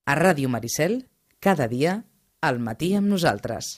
A Ràdio Maricel, cada dia, al matí amb nosaltres.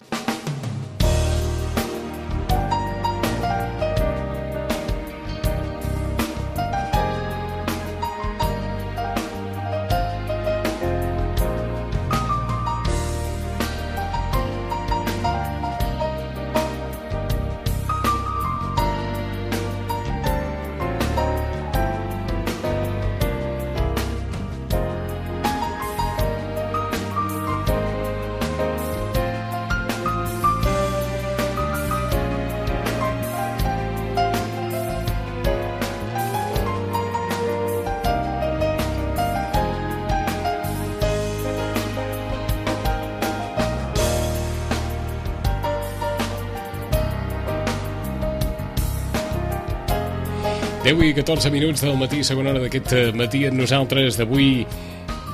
Deu i 14 minuts del matí, segona hora d'aquest matí amb nosaltres d'avui,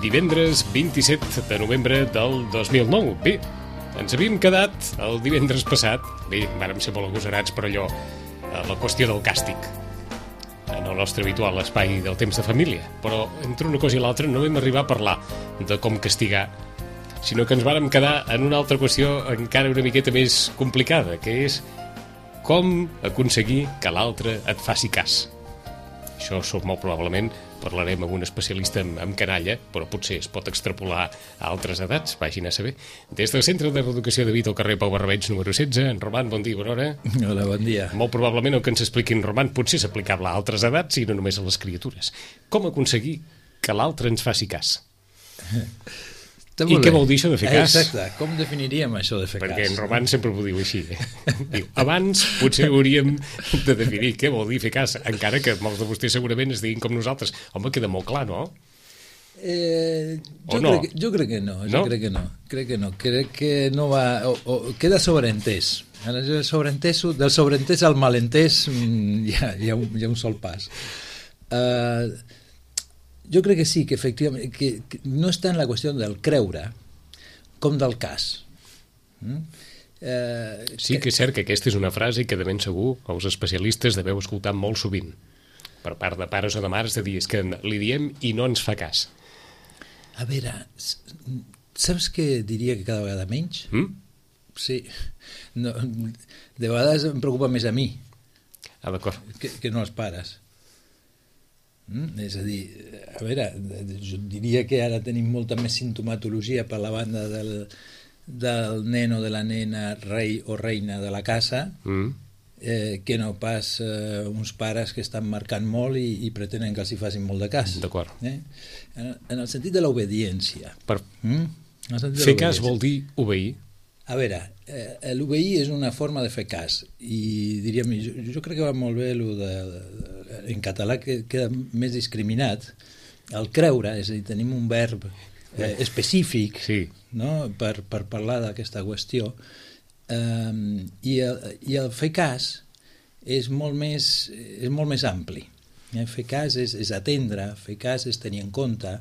divendres 27 de novembre del 2009. Bé, ens havíem quedat el divendres passat, bé, vàrem ser molt agosarats per allò, la qüestió del càstig, en el nostre habitual espai del temps de família, però entre una cosa i l'altra no vam arribar a parlar de com castigar, sinó que ens vàrem quedar en una altra qüestió encara una miqueta més complicada, que és com aconseguir que l'altre et faci cas. Això molt probablement parlarem amb un especialista en canalla, però potser es pot extrapolar a altres edats, vagin a saber. Des del Centre de Reeducació de Vic al carrer Pau Barberets número 16, en Roman, bon dia, bona hora. Hola, bon dia. Molt probablement el que ens expliqui en Roman potser s'aplicable a altres edats i no només a les criatures. Com aconseguir que l'altre ens faci cas? I què vol dir això de fer cas? Exacte, com definiríem això de fer cas? Perquè en Roman sempre ho diu així. Diu, abans potser hauríem de definir què vol dir fer cas, encara que molts de vostès segurament es diguin com nosaltres. Home, queda molt clar, no? Jo crec que no. Crec que no va... queda sobreentès. Del sobreentès al malentès hi ha un sol pas. Jo crec que sí, que efectivament que no està en la qüestió del creure com del cas. Sí que és cert que aquesta és una frase que de ben segur els especialistes deveu escoltar molt sovint per part de pares o de mares, de dir, és que li diem i no ens fa cas. A veure, saps què diria que cada vegada menys? Sí. No, de vegades em preocupa més a mi d'acord. Que no als pares. És a dir, a veure, jo diria que ara tenim molta més simptomatologia per la banda del nen o de la nena rei o reina de la casa que no pas uns pares que estan marcant molt i pretenen que els hi facin molt de cas. D'acord. En el sentit de l'obediència. Fer cas vol dir obeir? A veure, l'obeir és una forma de fer cas i diríem, jo crec que va molt bé en català que queda més discriminat el creure, és a dir, tenim un verb específic no? per parlar d'aquesta qüestió i el fer cas és molt més ampli. Fer cas és atendre, fer cas és tenir en compte,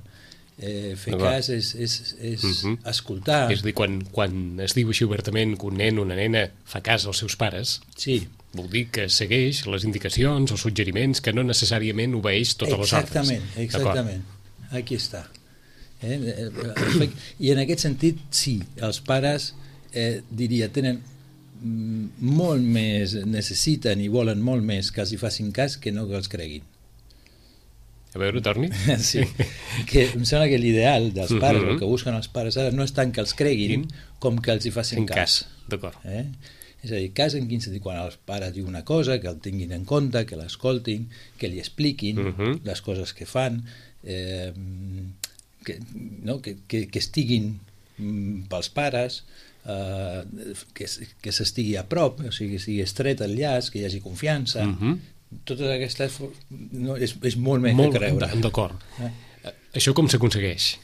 fer cas és escoltar. És a dir, quan es diu així obertament que un nen o una nena fa cas als seus pares, vol dir que segueix les indicacions, els suggeriments, que no necessàriament obeeix totes les ordres. Exactament. Aquí està. I en aquest sentit, sí, els pares, diria, tenen molt més, necessiten i volen molt més que els hi facin cas que no que els creguin. A veure, torni. Sí, que em sembla que l'ideal dels pares, el que busquen els pares ara, no és tant que els creguin com que els hi facin cas. D'acord. És a dir, cas en quin sentit, quan els pares diuen una cosa, que el tinguin en compte, que l'escoltin, que li expliquin les coses que fan, que estiguin pels pares, que s'estigui a prop, o sigui, que sigui estret el llaç, que hi hagi confiança. Totes aquestes és molt més que creure. D'acord. Això com s'aconsegueix?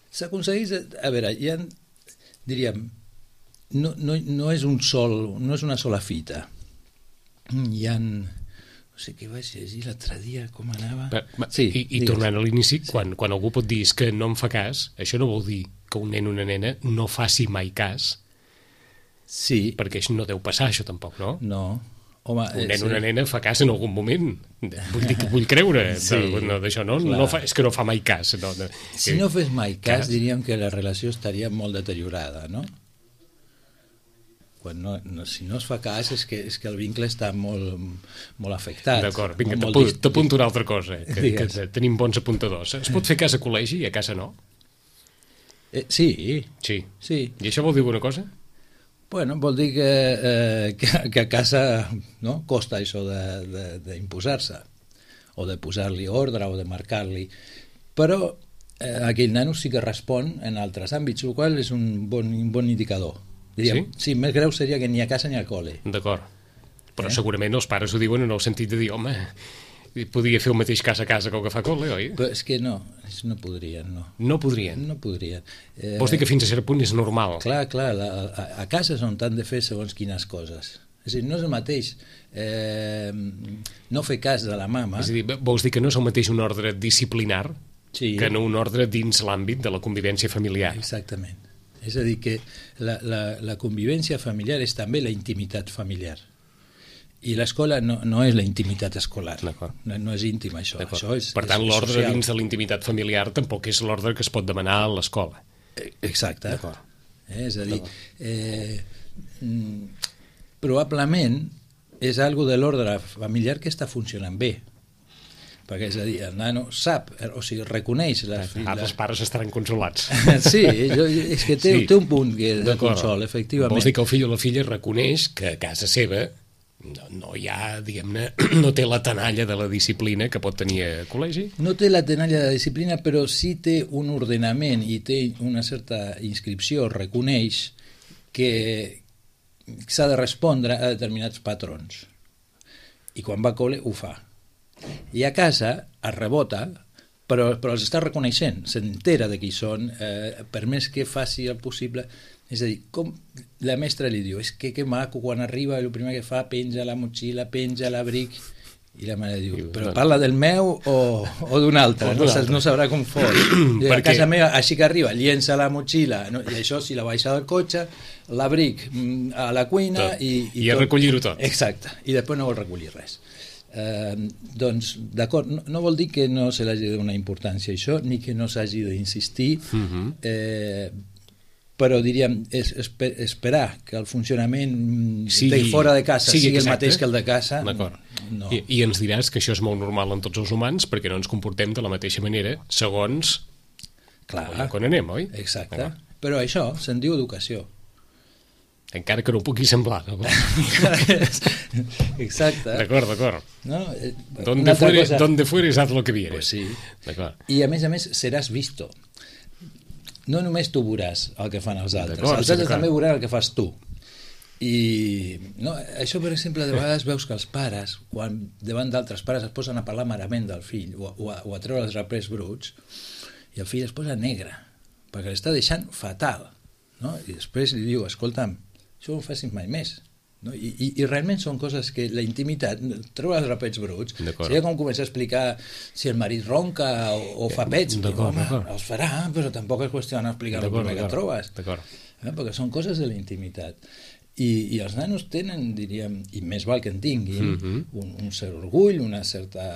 S'aconsegueix, a veure, diríem, no és una sola fita. Hi ha, no sé què vaig llegir l'altre dia, com anava. I tornant a l'inici, quan algú pot dir que no em fa cas, això no vol dir que un nen o una nena no faci mai cas. Sí. Perquè això no deu passar, això tampoc, no? No. Home, un nen o una nena fa cas en algun moment. Vull dir que vull creure. D'això no fa, és que no fa mai cas. Si no fes mai cas, diríem que la relació estaria molt deteriorada, no? Quan si no es fa cas és que el vincle està molt afectat. D'acord, vinga, t'apunto una altra cosa, que tenim bons apuntadors. Es pot fer cas a col·legi i a casa no? Sí. I això vol dir alguna cosa? Bueno, vol dir que a casa no costa això d'imposar-se, o de posar-li ordre, o de marcar-li. Però aquell nano sí que respon en altres àmbits, el qual és un bon indicador. Diríem, sí, més greu seria que ni a casa ni a col·le. D'acord. Però segurament els pares ho diuen en el sentit de dir, home, podia fer el mateix cas a casa que el que fa col·le, oi? Però és que no podrien, no. No podrien? No podrien. Vols dir que fins a cert punt és normal? Clar, a casa és on t'han de fer segons quines coses. És a dir, no és el mateix no fer cas de la mama... És a dir, vols dir que no és el mateix un ordre disciplinar que no un ordre dins l'àmbit de la convivència familiar? Exactament. És a dir, que la convivència familiar és també la intimitat familiar. I l'escola no és la intimitat escolar. No és íntima, això. Per tant, l'ordre dins de la intimitat familiar tampoc és l'ordre que es pot demanar a l'escola. Exacte. És a dir, probablement és algo de l'ordre familiar que està funcionant bé. Perquè, és a dir, el nano sap, o sigui, reconeix... Els pares estaran consolats. Sí, és que té un punt de consol, efectivament. Vols dir que el fill o la filla reconeix que a casa seva no hi ha, diguem-ne, no té la tenalla de la disciplina que pot tenir a col·legi? No té la tenalla de la disciplina, però sí té un ordenament i té una certa inscripció, reconeix que s'ha de respondre a determinats patrons. I quan va a col·le ho fa. I a casa es rebota, però els està reconeixent, s'entera de qui són, per més que faci el possible. És a dir, com la mestra li diu, és que maco, quan arriba el primer que fa, penja la motxilla, penja l'abric, i la mare diu, però parla del meu o d'un altre, no sabrà com fos. A casa meva, així que arriba, llença la motxilla, i això si la baixa del cotxe, l'abric a la cuina i a recollir-ho tot. Exacte, i després no vol recollir res. Doncs, d'acord, no vol dir que no se l'hagi de donar importància a això, ni que no s'hagi d'insistir, però diríem, esperar que el funcionament de fora de casa sigui el mateix que el de casa, no. I ens diràs que això és molt normal en tots els humans perquè no ens comportem de la mateixa manera segons on anem, oi? Exacte, però això se'n diu educació. Encara que no pugui semblar. Exacte. D'acord. Donde fueres haz lo que vieres. Pues sí. I a més seràs visto. No només tu veuràs el que fan els altres, els altres també veuran el que fas tu. I això, per exemple, de vegades veus que els pares, quan davant d'altres pares es posen a parlar malament del fill o a treure els rapers bruts, i el fill es posa negre, perquè l'està deixant fatal. I després li diu, escolta'm, això no ho facis mai més. I realment són coses que la intimitat, treure els rapets bruts, seria com començar a explicar si el marit ronca o fa pets. Home, els farà, però tampoc és qüestió d'explicar el primer que trobes. Perquè són coses de la intimitat. I els nanos tenen, diríem, i més val que en tinguin, un cert orgull, una certa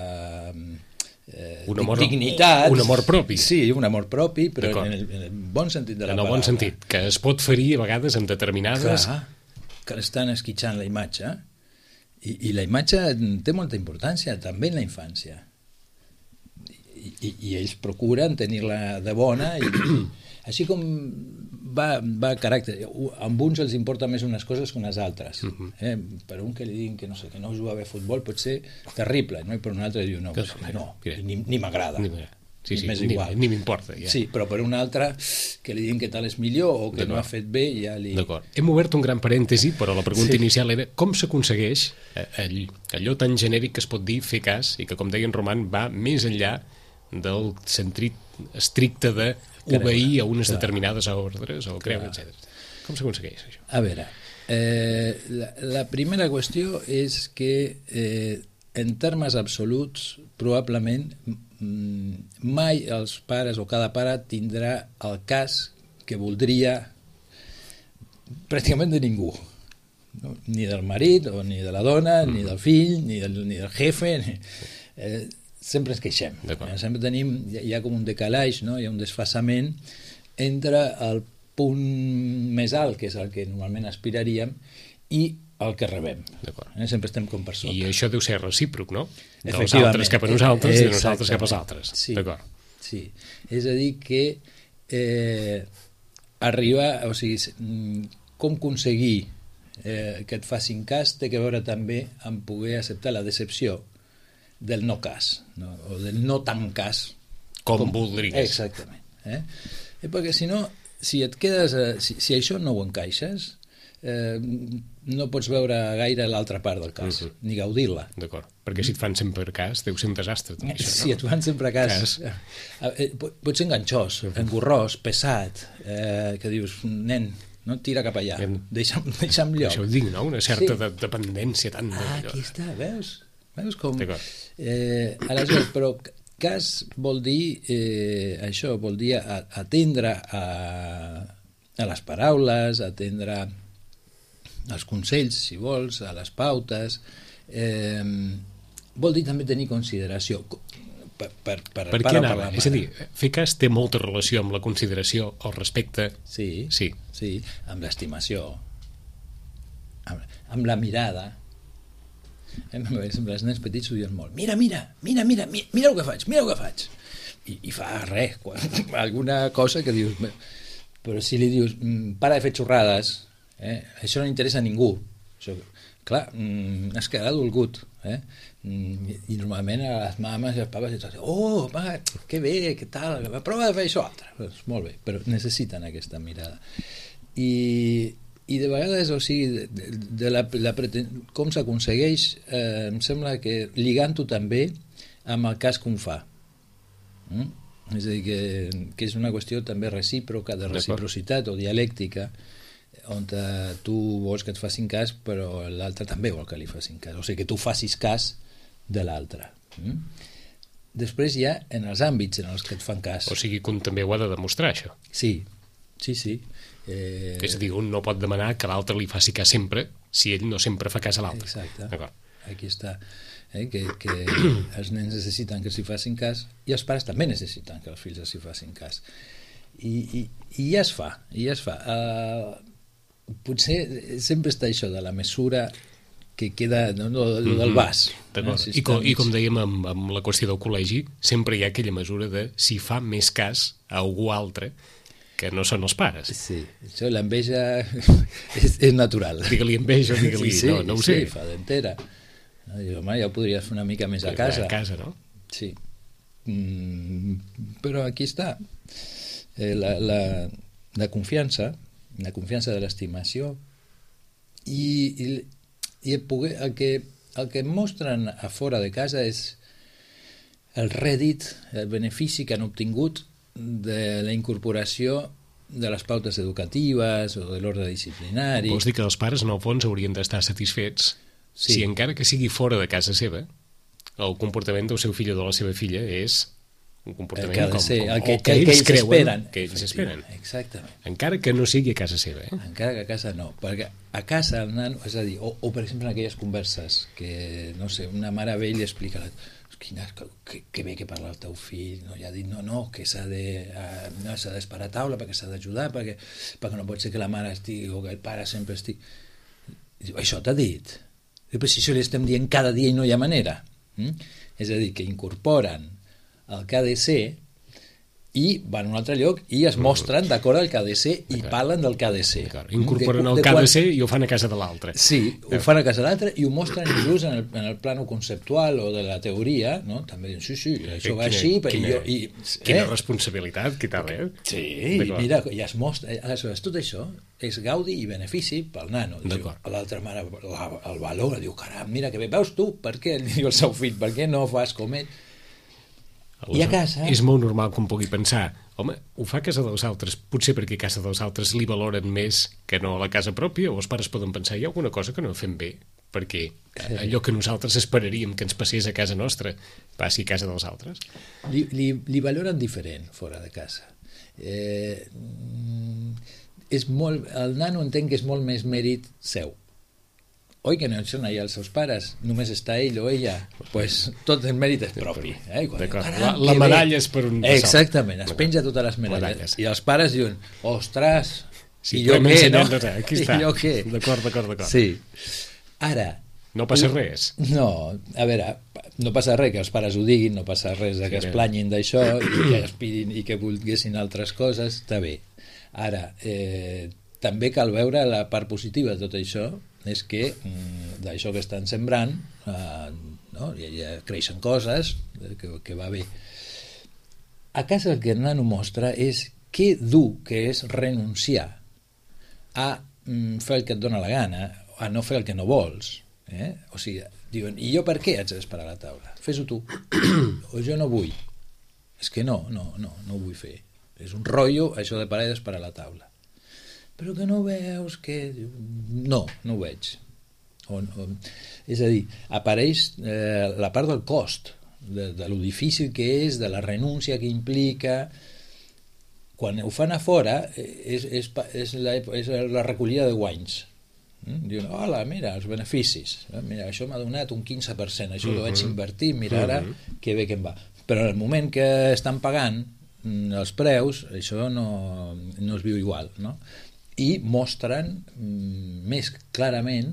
dignitat. Un amor propi. Sí, un amor propi, però en el bon sentit de la paraula. En el bon sentit, que es pot ferir a vegades amb determinades... Clar, que l'estan esquitxant la imatge, i la imatge té molta importància també en la infància, i ells procuren tenir-la de bona, i així com va a caràcter, amb uns els importa més unes coses que unes altres. Per un que li diguin que no juga bé a futbol pot ser terrible, i per un altre diu no, ni m'agrada. Sí, ni m'importa. Sí, però per un altre que li diguin que tal és millor o que no ha fet bé, ja li... D'acord. Hem obert un gran parèntesi, però la pregunta inicial era com s'aconsegueix allò tan genèric que es pot dir fer cas i que, com deia en Roman, va més enllà del sentit estricte d'obeir a unes determinades ordres o creure, etc. Com s'aconsegueix això? A veure, la primera qüestió és que en termes absoluts probablement mai els pares o cada pare tindrà el cas que voldria pràcticament de ningú. no? Ni del marit, o ni de la dona, ni del fill, ni del jefe, sempre ens queixem. Sempre tenim, hi ha com un decalatge, no? Hi ha un desfasament entre el punt més alt, que és el que normalment aspiraríem, i el que rebem. Sempre estem com per sota. I això deu ser recíproc, no? Dels altres cap a nosaltres i de nosaltres cap als altres. Sí, sí. És a dir que arribar, o sigui, com aconseguir que et facin cas té que veure també amb poder acceptar la decepció del no cas, no? O del no tan cas com voldries. Exactament. Perquè si no, si et quedes, si això no ho encaixes, no pots veure gaire l'altra part del cas, ni gaudir-la. D'acord, perquè si et fan sempre cas deu ser un desastre. Això, no? Si et fan sempre cas. Pot ser enganxós, engorrós, pesat, que dius, nen, no tira cap allà, deixa'm lloc. Això ho dic, no? Una certa dependència tan... Aquí està, veus? Veus com... Aleshores, però cas vol dir això, vol dir atendre a les paraules, atendre als consells, si vols, a les pautes, vol dir també tenir consideració per què anava? És a dir, fer cas té molta relació amb la consideració, el respecte. Sí, amb l'estimació, amb la mirada. Els nens petits ho diuen molt. Mira el que faig. I fa res, alguna cosa que dius... Però si li dius, para de fer xorrades, això no interessa a ningú. Això, clar, has quedat dolgut. I normalment a les mames i els papas diuen, oh, va, que bé, què tal, prova de fer això altre. Doncs molt bé, però necessiten aquesta mirada. I de vegades, o sigui, com s'aconsegueix, em sembla que lligant-ho també amb el cas que un fa. És a dir, que és una qüestió també recíproca, de reciprocitat o dialèctica, on tu vols que et facin cas, però l'altre també vol que li facin cas. O sigui, que tu facis cas de l'altre. Després hi ha en els àmbits en els que et fan cas. O sigui, que un també ho ha de demostrar, això. Sí. És a dir, un no pot demanar que l'altre li faci cas sempre si ell no sempre fa cas a l'altre. Exacte. Aquí està. Que els nens necessiten que s'hi facin cas i els pares també necessiten que els fills s'hi facin cas. I ja es fa. Potser sempre està això de la mesura que queda del vas. I com dèiem amb la qüestió del col·legi, sempre hi ha aquella mesura de si fa més cas a algú altre que no són els pares. Sí, això, l'enveja és natural. Digue-li enveja, digue-li... No ho sé. Sí, fa d'entera. Home, ja ho podries fer una mica més a casa. A casa, no? Sí. Però aquí està. La confiança de l'estimació i el que mostren a fora de casa és el rèdit, el benefici que han obtingut de la incorporació de les pautes educatives o de l'ordre disciplinari. Vols dir que els pares, en el fons, haurien d'estar satisfets si encara que sigui fora de casa seva, el comportament del seu fill o de la seva filla és un comportament que ells creuen que ells esperen. Exactament. Encara que no sigui a casa seva. Encara que a casa no, perquè a casa el nano, és a dir, o per exemple en aquelles converses que, no sé, una mare vella explica que bé que parla el teu fill, no? Ja ha dit que s'ha d'esperar a taula perquè s'ha d'ajudar, perquè no pot ser que la mare estigui o que el pare sempre estigui... Diu, això t'ha dit? Però si això li estem dient cada dia i no hi ha manera. És a dir, que incorporen el que ha de ser i van a un altre lloc i es mostren d'acord al que ha de ser i parlen del que ha de ser. Incorporen el que ha de ser i ho fan a casa de l'altre. Sí, ho fan a casa de l'altre i ho mostren inclús en el plano conceptual o de la teoria, no? També diuen, sí, això va així... Quina responsabilitat, què tal, Sí, mira, ja es mostra... Aleshores, tot això és gaudi i benefici pel nano. L'altra mare el valora, diu, caram, mira que bé, veus tu, per què? Diu el seu fill, per què no fas com ell? I a casa... És molt normal que un pugui pensar, home, ho fa a casa dels altres, potser perquè a casa dels altres li valoren més que no a la casa pròpia, o els pares poden pensar, hi ha alguna cosa que no fem bé, perquè allò que nosaltres esperaríem que ens passés a casa nostra passi a casa dels altres. Li valoren diferent fora de casa. El nano entén que és molt més mèrit seu. oi que no són allà els seus pares, només està ell o ella, pues tot el mèrit és propi. D'acord, la medalla és per un de sol. Exactament, es penja totes les medalles. I els pares diuen, ostres, sí, i jo què, no? Aquí està. I jo què? D'acord. Sí. Ara... No passa res. No, a veure, no passa res que els pares ho diguin, no passa res que es planyin d'això i que aspirin i que volguessin altres coses, està bé. Ara, també cal veure la part positiva de tot això, és que d'això que estan sembrant no? ja creixen coses que va bé. A casa el que el nano mostra és que dur que és renunciar a fer el que et dóna la gana, a no fer el que no vols. O sigui, diuen, i jo per què haig d'esperar a la taula? Fes-ho tu. O jo no vull. És que no vull fer. És un rotllo això de parar i d'esperar a la taula. Però que no veus que... No ho veig. És a dir, apareix la part del cost, de lo difícil que és, de la renúncia que implica. Quan ho fan a fora és la recollida de guanys. Diuen, hola, mira, els beneficis, mira, això m'ha donat un 15%, això ho vaig invertir, mira ara que bé que em va. Però en el moment que estan pagant els preus, això no es viu igual, no? I mostren més clarament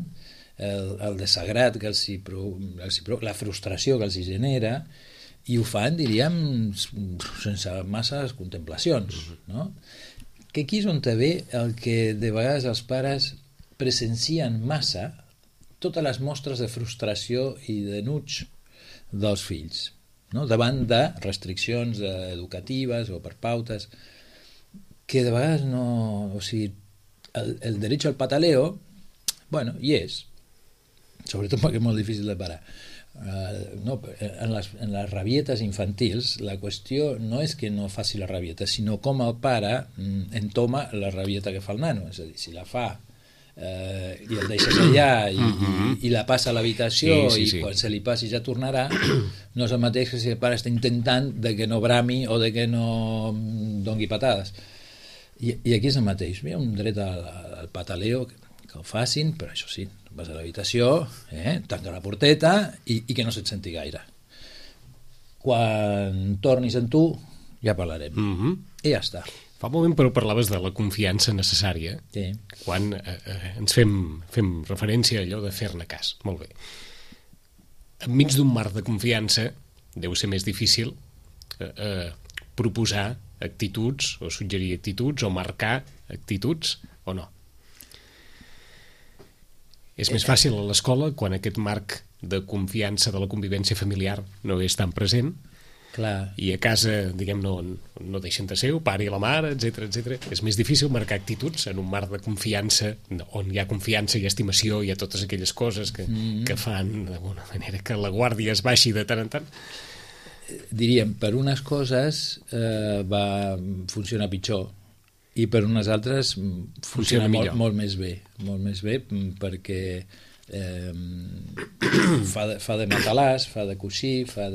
el desagrat que la frustració que els genera, i ho fan, diríem, sense masses contemplacions, no? Que aquí és on ve el que de vegades els pares presencien massa totes les mostres de frustració i d'enuig dels fills, no? Davant de restriccions educatives o per pautes que de vegades no... O sigui, el derecho al pataleo, bueno, hi és, sobretot perquè és molt difícil de parar. En les rabietes infantils la qüestió no és que no faci la rabieta, sinó com el pare entoma la rabieta que fa el nano, és a dir, si la fa i el deixes allà i la passa a l'habitació i quan se li passi ja tornarà, no és el mateix que si el pare està intentant de que no brami o de que no dongui patades. I aquí és el mateix, hi ha un dret al pataleo que ho facin, però això sí, vas a l'habitació, tanca la porteta i que no se't senti gaire. Quan tornis en tu ja parlarem i ja està. Fa un moment, però, parlaves de la confiança necessària, quan ens fem referència a allò de fer-ne cas. Molt bé. Enmig d'un marc de confiança deu ser més difícil proposar actituds o suggerir actituds o marcar actituds o no. És més fàcil a l'escola quan aquest marc de confiança de la convivència familiar no és tan present. Clar. I a casa, diguem, no deixen de ser el pare i la mare, etc. És més difícil marcar actituds en un marc de confiança on hi ha confiança i estimació, hi ha totes aquelles coses que fan d'alguna manera que la guàrdia es baixi de tant en tant. Diríem, per unes coses va funcionar pitjor i per unes altres funciona molt més bé perquè fa de matalàs, fa de coixí, fa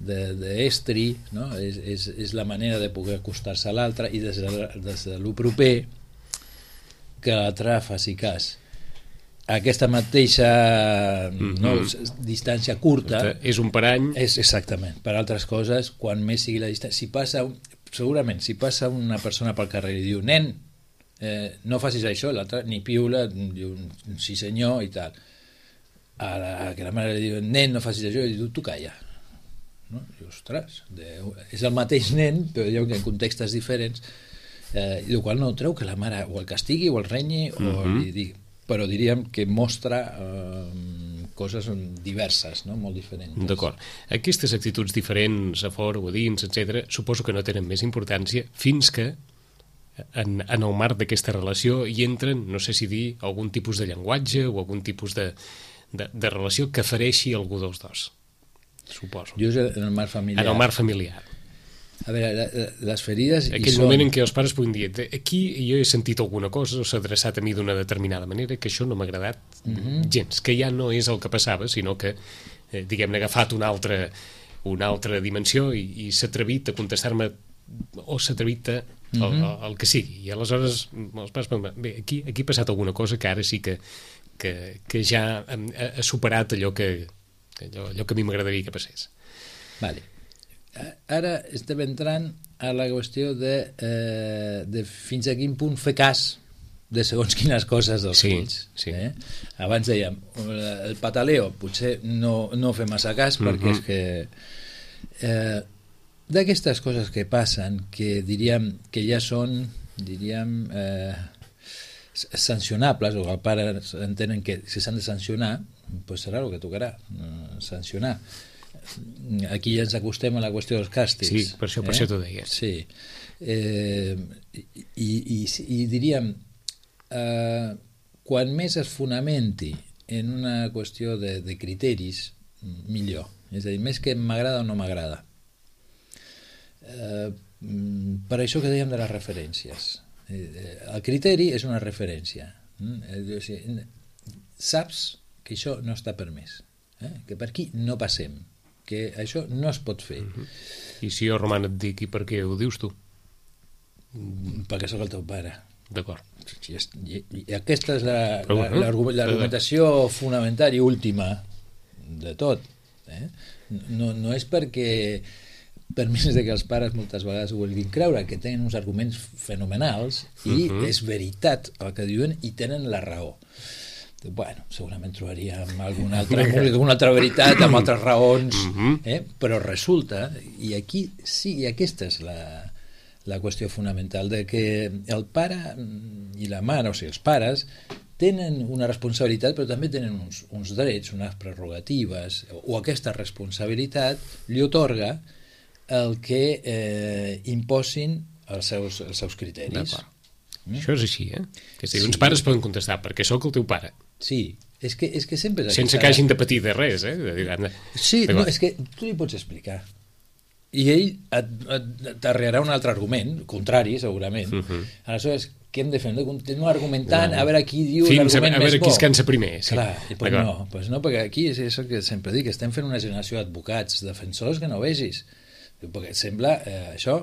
d'estri, no? És la manera de poder acostar-se a l'altre i des de lo proper que l'altre faci cas. Aquesta mateixa distància curta és un parany. És exactament. Per altres coses, quan més sigui la distància, segurament si passa una persona pel carrer i diu, nen, no facis això, l'altre ni piula, diu sí senyor i tal. A que la mare li diu, nen, no facis això, i diu, tu calla. No? I, ostres, és el mateix nen, però diu que en contextes diferents, el qual no treu que la mare o el castigui o el renyi o li digui, però diríem que mostra coses diverses, no? Molt diferents. D'acord. Aquestes actituds diferents a fora o a dins, etc., suposo que no tenen més importància fins que en el marc d'aquesta relació hi entren, no sé si dir, algun tipus de llenguatge o algun tipus de relació que fereixi algú dels dos. Suposo. Just en el marc familiar. En el marc familiar. A veure, les ferides... Aquell moment en què els pares puguin dir, aquí jo he sentit alguna cosa o s'ha adreçat a mi d'una determinada manera que això no m'ha agradat gens, que ja no és el que passava, sinó que, diguem-ne, ha agafat una altra dimensió i s'ha atrevit a contestar-me o s'ha atrevit a el que sigui. I aleshores els pares, bé, aquí ha passat alguna cosa que ara sí que que ja ha superat allò que a mi m'agradaria que passés. Vale. Ara estem entrant a la qüestió de fins a quin punt fer cas de segons quines coses dels fills. Sí. Abans dèiem, el pataleo potser no fer massa cas perquè és que d'aquestes coses que passen, que diríem que ja són sancionables, o que els pares entenen que si s'han de sancionar, pues serà el que tocarà, sancionar. Aquí ja ens acostem a la qüestió dels càstigs. Sí, per això t'ho deia. Sí. I diríem, quan més es fonamenti en una qüestió de criteris, millor. És a dir, més que m'agrada o no m'agrada. Per això que dèiem de les referències. El criteri és una referència. Saps que això no està permès, que per aquí no passem, que això no es pot fer. I si jo, Roman, et dic, i per què ho dius tu? Perquè sóc el teu pare. D'acord. I aquesta és l'argumentació fonamental i última de tot. No és perquè, per més de que els pares moltes vegades ho vulguin creure, que tenen uns arguments fenomenals i és veritat el que diuen i tenen la raó. Bueno, segurament trobaríem alguna altra veritat amb altres raons, però resulta, i aquí sí, i aquesta és la qüestió fonamental, de que el pare i la mare, o sigui, els pares tenen una responsabilitat, però també tenen uns drets, unes prerrogatives, o aquesta responsabilitat li otorga el que imposin els seus criteris. D'acord. Això és així, Que si uns pares poden contestar, perquè sóc el teu pare. Sí, és que sempre... Sense que hagin de patir de res, Sí, no, és que tu li pots explicar. I ell t'arrearà un altre argument, contrari, segurament. Aleshores, què hem de fer? Hem de continuar argumentant, a veure qui diu l'argument més bo. A veure qui es cansa primer. Clar, perquè aquí és això que sempre dic, estem fent una generació d'advocats, defensors que no vegis. Perquè sembla això...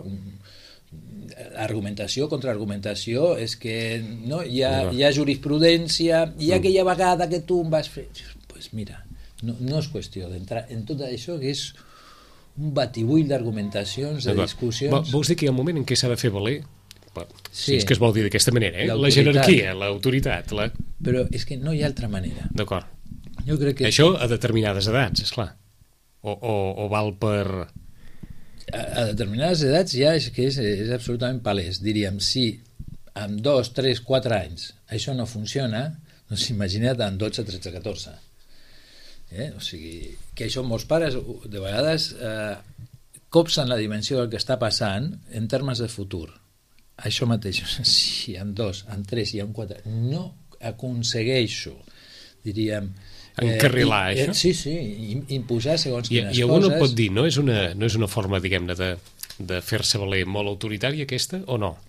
argumentació, contraargumentació, és que no, hi ha jurisprudència, i aquella vegada que tu em vas fer... Pues mira, no és qüestió d'entrar en tot això, que és un batibull d'argumentacions, de discussions... Vols dir que hi ha un moment en què s'ha de fer valer? Sí, és que es vol dir d'aquesta manera, la jerarquia, l'autoritat. Però és que no hi ha altra manera. D'acord. Jo crec que... Això a determinades edats, esclar. O val per... A determinades edats ja és que és absolutament palès. Diríem, si amb 2, 3, 4 anys això no funciona, doncs imagina't amb 12, 13, 14. O sigui, que això molts pares de vegades copsen la dimensió del que està passant en termes de futur. Això mateix, si amb 2, amb 3 i amb 4 no aconsegueixo, diríem... encarrilar això? Sí, imposar segons quines coses. I algú no pot dir, no és una forma, diguem-ne, de fer-se valer molt autoritària aquesta, o no?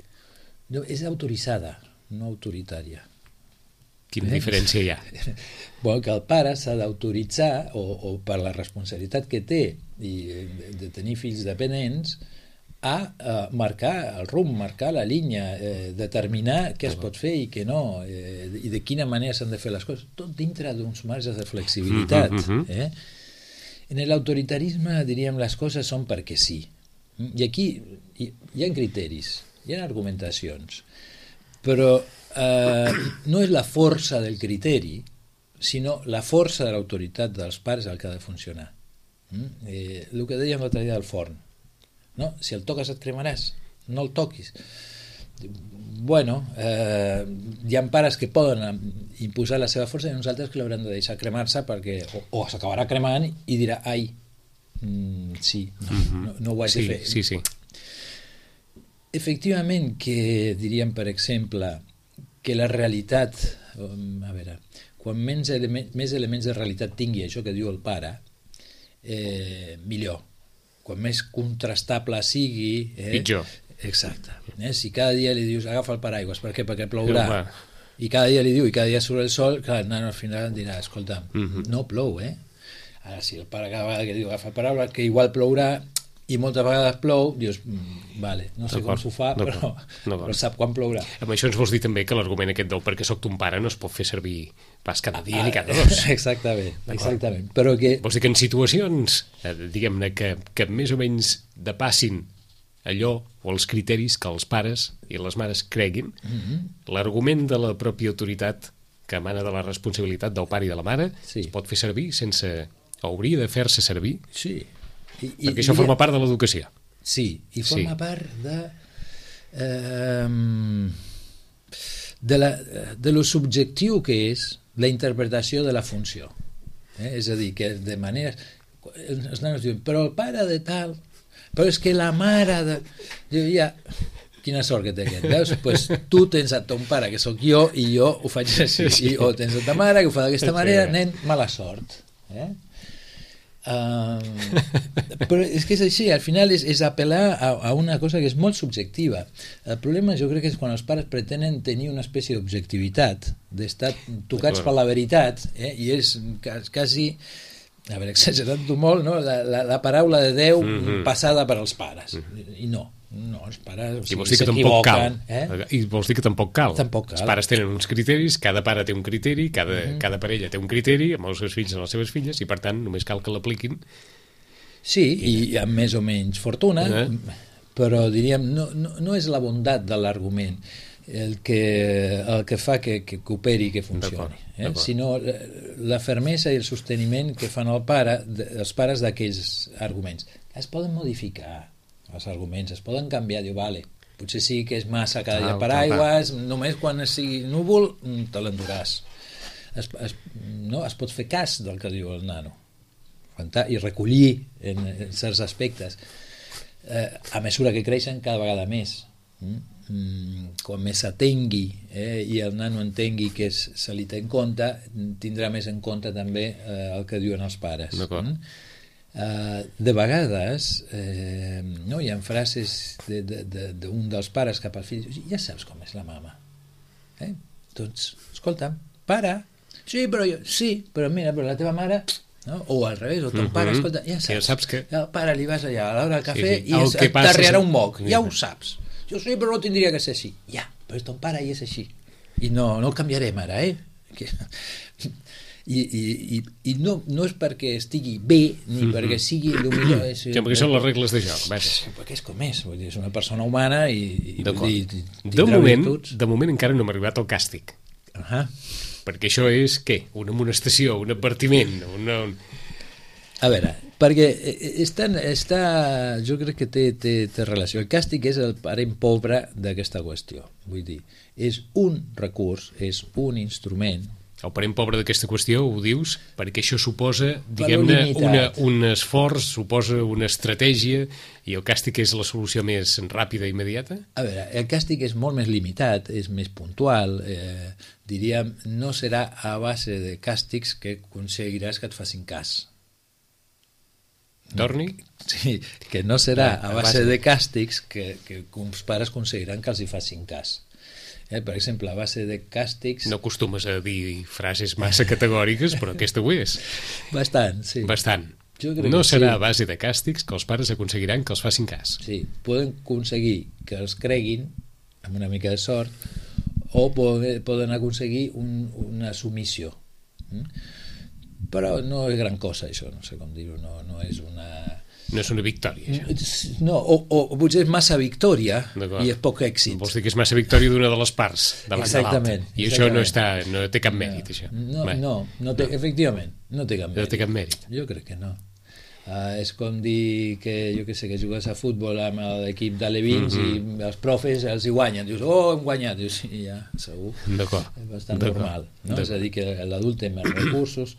No, és autoritzada, no autoritària. Quina diferència hi ha? Que el pare s'ha d'autoritzar, o per la responsabilitat que té de tenir fills dependents, a marcar el rumb, marcar la línia, determinar què es pot fer i què no, i de quina manera s'han de fer les coses, tot dintre d'uns marges de flexibilitat. En l'autoritarisme, diríem, les coses són perquè sí. I aquí hi ha criteris, hi ha argumentacions, però no és la força del criteri, sinó la força de l'autoritat dels pares el que ha de funcionar. El que dèiem l'altre dia del forn. No? Si el toques et cremaràs, no el toquis. Bueno, hi ha pares que poden imposar la seva força i uns altres que l'hauran de deixar cremar-se perquè o s'acabarà cremant i dirà ai, sí, no ho haig de fer. Sí. Efectivament que diríem, per exemple, que la realitat, a veure, quan més elements de realitat tingui això que diu el pare, millor. Quan més contrastable sigui... pitjor. Exacte. Si cada dia li dius agafa el paraigües, per què? Perquè plourà. I cada dia li diu, i cada dia surt el sol, clar, al final em dirà, escolta, no plou, Ara, si el pare cada vegada que diu agafa el paraigües, que igual plourà, i moltes vegades plou, dius, vale, no sé com s'ho fa, però sap quan plourà. Amb això ens vols dir també que l'argument aquest del perquè soc ton pare no es pot fer servir pas cada dia ni cada dos. Exactament. Però que... Vols dir que en situacions, diguem-ne, que més o menys depassin allò o els criteris que els pares i les mares creguin, l'argument de la pròpia autoritat que emana de la responsabilitat del pare i de la mare es pot fer servir sense... hauria de fer-se servir? Sí. Perquè això forma part de l'educació. Sí, i forma part de lo subjectiu que és la interpretació de la funció. És a dir, que de manera... Els nanos diuen, però el pare de tal... Però és que la mare de... Diu, ja... Quina sort que té aquest, veus? Pues tu tens a ton pare, que sóc jo, i jo ho faig així. O tens a ta mare, que ho fa d'aquesta manera, nen, mala sort. Però és que és així, al final és apel·lar a una cosa que és molt subjectiva. El problema jo crec que és quan els pares pretenen tenir una espècie d'objectivitat, d'estar tocats per la veritat, i és quasi, a veure, exagerant-ho molt, no? la paraula de Déu passada per als pares, i no, els pares s'equivoquen. I vols dir que tampoc cal. Els pares tenen uns criteris, cada pare té un criteri, cada parella té un criteri amb els seus fills i les seves filles, i per tant només cal que l'apliquin. Sí, i amb més o menys fortuna, però diríem, no és la bondat de l'argument el que fa que cooperi i que funcioni, sinó la fermesa i el sosteniment que fan els pares d'aquells arguments. Es poden modificar els arguments, es poden canviar, diu, vale, potser sí que és massa cada dia per aigües, només quan sigui núvol te l'enduràs. Es pot fer cas del que diu el nano i recollir en certs aspectes a mesura que creixen cada vegada més. Quan més s'atengui i el nano entengui que se li té en compte, tindrà més en compte també el que diuen els pares. De vegades hi ha frases d'un dels pares cap al fill, ja saps com és la mama, doncs escolta'm, pare, sí però mira, però la teva mare, o al revés, o ton pare, escolta, ja saps que al pare li vas allà a l'hora del cafè i t'arriarà un moc, ja ho saps. Jo sí, però no tindria que ser així. Ja, però és ton pare i és així. I no el canviarem ara, I no és perquè estigui bé ni perquè sigui el millor. Perquè són les regles de joc. Perquè és com és, vull dir, és una persona humana i de moment encara no m'ha arribat el càstig. Perquè això és, què? Una amonestació, un advertiment, A veure, perquè jo crec que té relació. El càstig és el parent pobre d'aquesta qüestió. Vull dir, és un recurs, és un instrument. El parent pobre d'aquesta qüestió ho dius perquè això suposa, diguem-ne, un esforç, suposa una estratègia, i el càstig és la solució més ràpida i immediata? A veure, el càstig és molt més limitat, és més puntual, diríem, no serà a base de càstigs que aconseguiràs que et facin cas. Torni? Sí, que no serà a base de càstigs que uns pares aconseguiran que els hi facin cas. Per exemple, a base de càstigs... No acostumes a dir frases massa categòriques, però aquesta ho és. Bastant, sí. Bastant. No serà a base de càstigs que els pares aconseguiran que els facin cas. Sí, poden aconseguir que els creguin, amb una mica de sort, o poden aconseguir una submissió. Però no és gran cosa, això, no sé com dir-ho, no és una... No és una victòria, això. No, o potser és massa victòria i és poc èxit. Vols dir que és massa victòria d'una de les parts davant de l'altra. I això no té cap mèrit, això. Efectivament, no té cap mèrit. No té cap mèrit. Jo crec que no. És com dir que, jo què sé, que jugues a futbol amb l'equip d'alevins i els profes els hi guanyen. Dius, hem guanyat. Dius, sí, ja, segur. És bastant normal. És a dir, que l'adult té més recursos,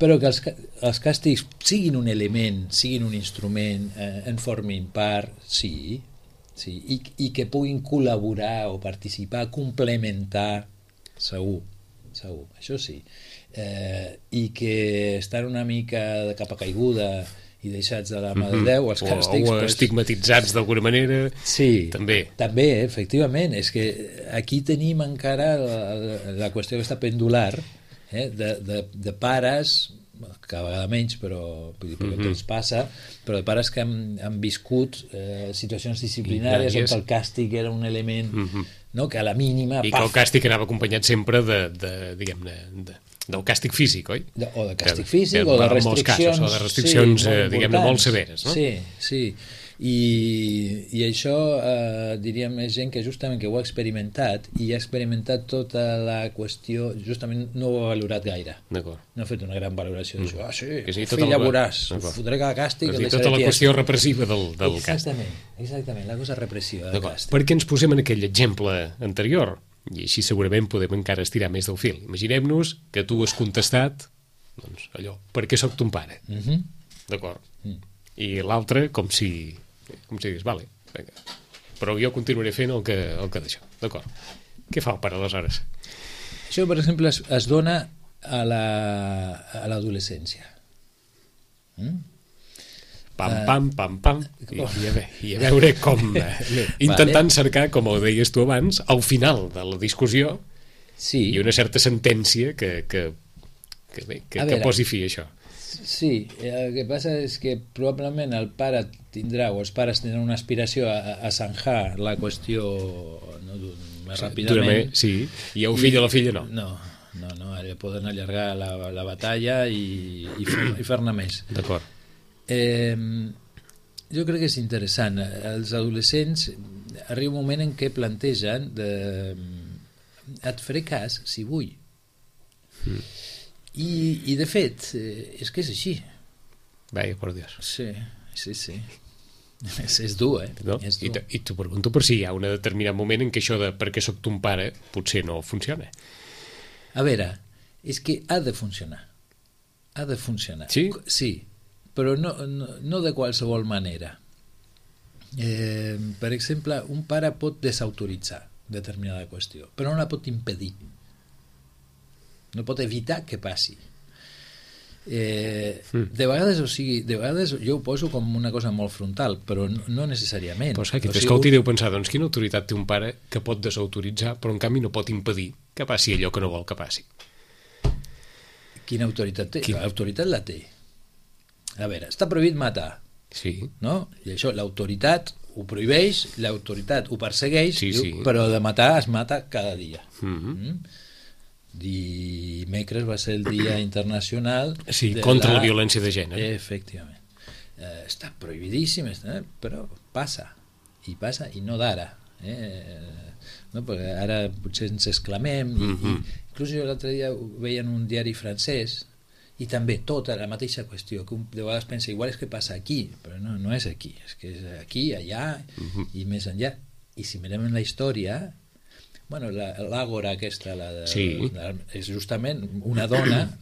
però que els càstigs siguin un element, siguin un instrument, en formin part, sí, i que puguin col·laborar o participar, complementar, segur, això sí, i que estan una mica de capa caiguda i deixats de la mà de Déu, els càstigs... O estigmatitzats d'alguna manera, també. També, efectivament, és que aquí tenim encara la qüestió aquesta pendular, de pares cada vegada menys, però perquè ens passa, però de pares que han viscut situacions disciplinàries on el càstig era un element que a la mínima... I que el càstig anava acompanyat sempre diguem-ne, del càstig físic, oi? O de càstig físic, o de restriccions... O de restriccions, diguem-ne, molt severes, no? Sí. I això, diríem, és gent que justament que ho ha experimentat i ha experimentat tota la qüestió, justament no ho ha valorat gaire. D'acord. No ha fet una gran valoració d'això. Sí, fill, ja veuràs, fotré cada càstig... Tota la qüestió repressiva del càstig. Exactament, la cosa repressiva del càstig. Per què ens posem en aquell exemple anterior? I així segurament podem encara estirar més del fil. Imaginem-nos que tu has contestat, doncs, allò, per què soc ton pare? D'acord. I l'altre, com si digués, vale, vinga, però jo continuaré fent el que d'això, d'acord. Què fa el pare aleshores? Això, per exemple, es dona a l'adolescència. Pam, i a veure com, intentant cercar, com ho deies tu abans, al final de la discussió, i una certa sentència que posi fi a això. Sí, el que passa és que probablement el pare tindrà, o els pares tindran una aspiració a zanjar la qüestió més ràpidament. Sí, i el fill o la filla no. No, ara poden allargar la batalla i fer-ne més. D'acord. Jo crec que és interessant. Els adolescents arriba un moment en què plantegen et faré cas si vull. I de fet, és que és així. Vaya, por Dios. Sí. És dur, No? I t'ho pregunto per si hi ha un determinat moment en què això de per què soc ton pare potser no funciona. A veure, és que ha de funcionar. Sí? Sí, però no de qualsevol manera. Per exemple, un pare pot desautoritzar determinada qüestió, però no la pot impedir. No pot evitar que passi. De vegades jo ho poso com una cosa molt frontal, però no necessàriament. Però saps, escolti, deu pensar, doncs quina autoritat té un pare que pot desautoritzar però en canvi no pot impedir que passi allò que no vol que passi? Quina autoritat té? L'autoritat la té. A veure, està prohibit matar. Sí. No? I això, l'autoritat ho prohibeix, l'autoritat ho persegueix, però de matar es mata cada dia. Dimecres va ser el dia internacional contra la violència de gènere. Efectivament. Està prohibidíssim, però passa i no d'ara, no? Perquè ara potser ens exclamem inclús jo l'altre dia ho veia en un diari francès i també tota la mateixa qüestió que de vegades pensa, igual és que passa aquí, però no és aquí, és que és aquí, allà i més enllà. I si mirem en la història, l'àgora aquesta és justament una dona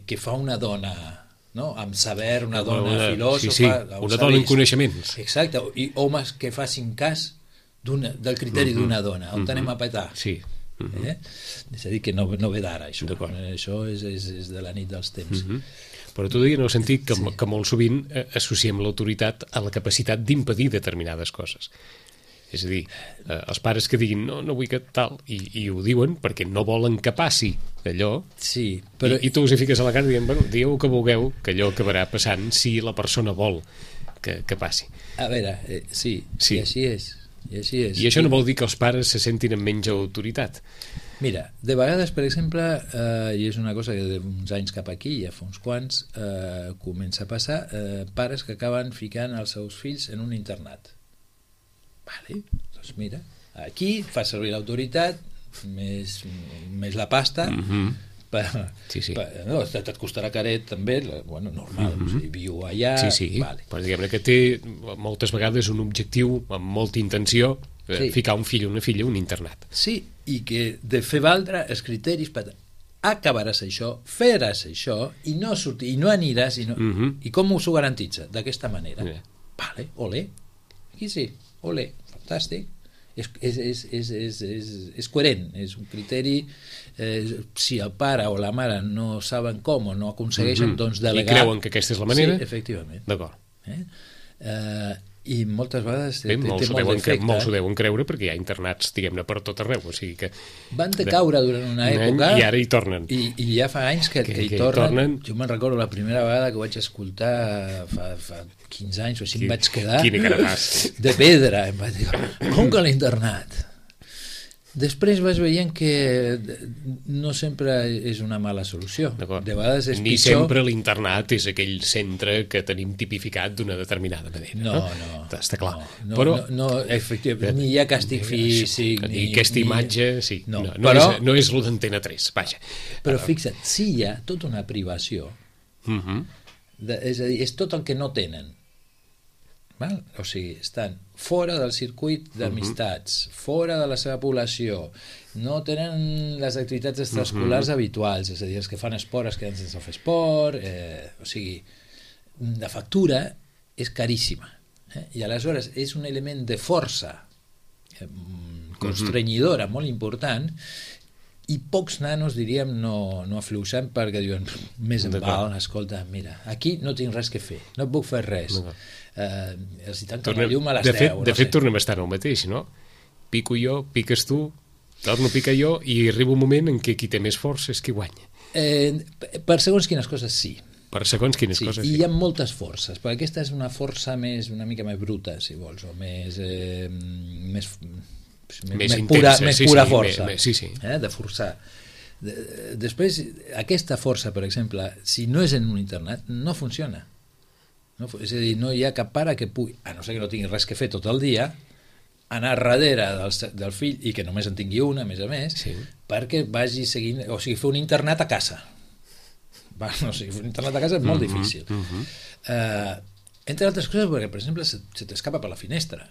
que fa una dona, no? Amb saber, una dona filòsofa, una dona amb coneixements, exacte, i homes que facin cas del criteri d'una dona, on anem a petar. És a dir, que no ve d'ara això és de la nit dels temps. Però tu deia en el sentit que molt sovint associem l'autoritat a la capacitat d'impedir determinades coses. És a dir, els pares que diguin no vull que tal, i ho diuen perquè no volen que passi allò, i tu us hi fiques a la cara dient, digueu que vulgueu, que allò acabarà passant si la persona vol que passi. A veure, sí. I així és. I això no vol dir que els pares se sentin amb menys autoritat. Mira, de vegades, per exemple, i és una cosa que d'uns anys cap aquí, ja fa uns quants, comença a passar, pares que acaben ficant els seus fills en un internat. Doncs mira, aquí fa servir l'autoritat més la pasta et costarà caret també, normal, viu allà, però diguem-ne que té moltes vegades un objectiu amb molta intenció, ficar un fill o una filla a un internat. Sí, i que de fer valdre els criteris per acabaràs això, faràs això i no sortir, i no aniràs i com s'ho garantitza? D'aquesta manera. Olé, aquí sí, olé, fantàstic, és coherent, és un criteri. Si el pare o la mare no saben com o no aconsegueixen, doncs delegar. I creuen que aquesta és la manera? Sí, efectivament. D'acord. I moltes vegades té molts molt d'efecte. Molts ho deuen creure perquè hi ha internats, diguem-ne, per tot arreu. O sigui que van caure durant una època i ara hi tornen. I ja fa anys que hi tornen. Jo me'n recordo la primera vegada que ho vaig escoltar fa 15 anys o així, em vaig quedar Quina cara fas. de pedra. Em vaig dir, com que l'internat? Després vas veient que no sempre és una mala solució. De vegades és Ni pitjor. sempre l'internat és aquell centre que tenim tipificat d'una determinada manera. No. Està clar. No, efectivament, ni hi ha càstig físic. Ni aquesta imatge, sí. No és lo d'Antena 3, vaja. Però fixa't, sí hi ha tota una privació. És a dir, és tot el que no tenen. Val? O sigui, estan fora del circuit d'amistats, fora de la seva població, no tenen les activitats extraescolars habituals, és a dir, els que fan esport es queden sense fer esport, o sigui, la factura és caríssima, i aleshores és un element de força constrenyidora molt important, i pocs nanos, diríem, no afluixen perquè diuen, més en val, escolta, mira, aquí no tinc res que fer, no puc fer res. Els hi tanquen la llum a les 10. De fet, tornem a estar en el mateix, no? Pico jo, piques tu, torno a picar jo, i arriba un moment en què qui té més força és qui guanya. Per segons quines coses, sí. Per segons quines coses, sí. I hi ha moltes forces, perquè aquesta és una força una mica més bruta, si vols, o més pura força, de forçar. Després, aquesta força, per exemple, si no és en un internat, no funciona. És a dir, no hi ha cap pare que pugui, a no ser que no tingui res que fer tot el dia, anar darrere del fill, i que només en tingui una, a més, perquè vagi seguint, o sigui, fer un internat a casa. Fer un internat a casa és molt difícil. Entre altres coses, perquè, per exemple, se t'escapa per la finestra,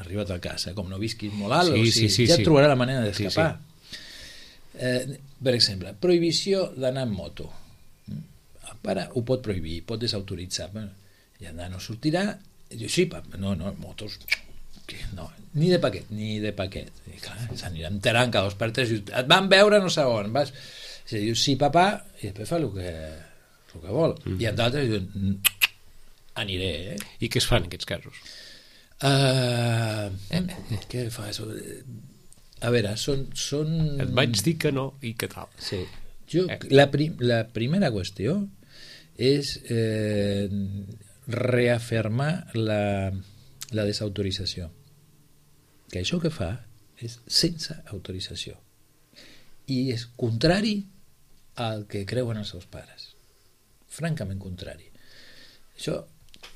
arribat a casa, com no visquis molt alt, ja et trobarà la manera d'escapar. Per exemple, prohibició d'anar en moto. El pare ho pot prohibir, pot desautoritzar, i el nano sortirà i diu, sí, no, motos no, ni de paquet i clar, s'anirà enterant cada 2 per 3 i et van veure no sé on i diu, sí papà, i després fa el que vol i en d'altres diuen, aniré I què es fa en aquests casos? Què fas? A veure, són... Et vaig dir que no i que tal. Sí. La primera qüestió és reafirmar la desautorització, que això que fa és sense autorització i és contrari al que creuen els seus pares, francament contrari. Això,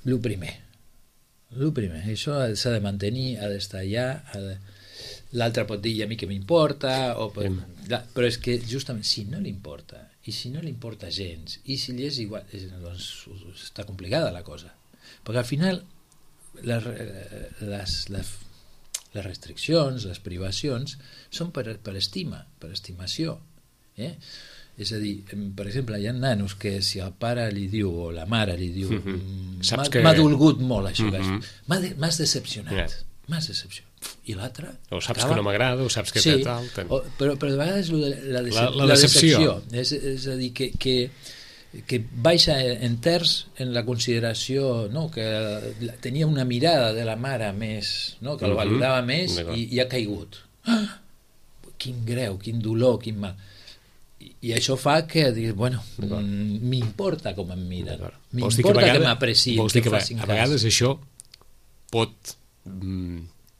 el primer, això s'ha de mantenir, ha d'estar allà, l'altre pot dir a mi que m'importa, però és que justament si no li importa i si no li importa gens i si li és igual, doncs està complicada la cosa, perquè al final les restriccions, les privacions són per estima, per estimació, és a dir, per exemple, hi ha nanos que si el pare li diu o la mare li diu m'ha dolgut molt això, m'has decepcionat, i l'altre o saps que no m'agrada o saps que té tal però de vegades la decepció és a dir que baixa en terç en la consideració, que tenia una mirada de la mare més, que el valorava més i ha caigut. Quin greu, quin dolor, quin mal. I això fa que diguis, bueno, m'importa com em miren, m'importa que m'aprecien, que em facin cas. A vegades això pot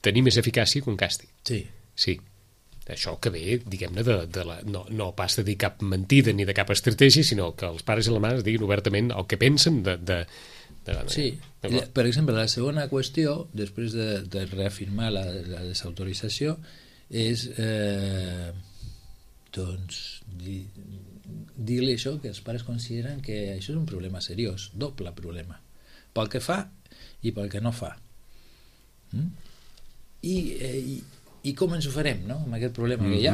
tenir més eficàcia que un càstig. Sí. Això que ve, diguem-ne, no pas de dir cap mentida ni de cap estratègia, sinó que els pares i les mares diguin obertament el que pensen Sí, per exemple, la segona qüestió, després de reafirmar la desautorització, és doncs dir-li això, que els pares consideren que això és un problema seriós, doble problema, pel que fa i pel que no fa. I com ens ho farem, no?, amb aquest problema que hi ha.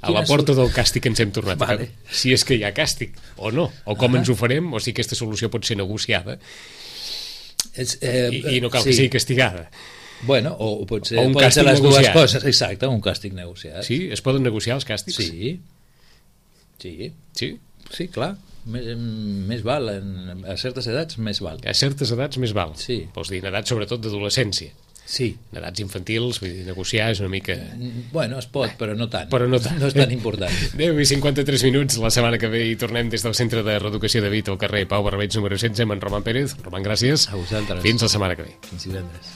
A la porta del càstig ens hem tornat si és que hi ha càstig o no, o com ens ho farem, o si aquesta solució pot ser negociada i no cal que sigui castigada. Bueno, o pot ser les dues coses. Exacte, un càstig negociat. Sí? Es poden negociar els càstigs? Sí, clar. més val, a certes edats més val. A certes edats més val. Sí. Vols dir, en edats sobretot d'adolescència. Sí. En edats infantils, vull dir, negociar és una mica... Bueno, es pot, però no tant. Però no tant. No és tan important. 10:53 minuts, la setmana que ve hi tornem des del Centre de Reeducació de Vic al carrer Pau Barbeig número 16 amb en Roman Pérez. Roman, gràcies. A vosaltres. Fins la setmana que ve. Fins divendres.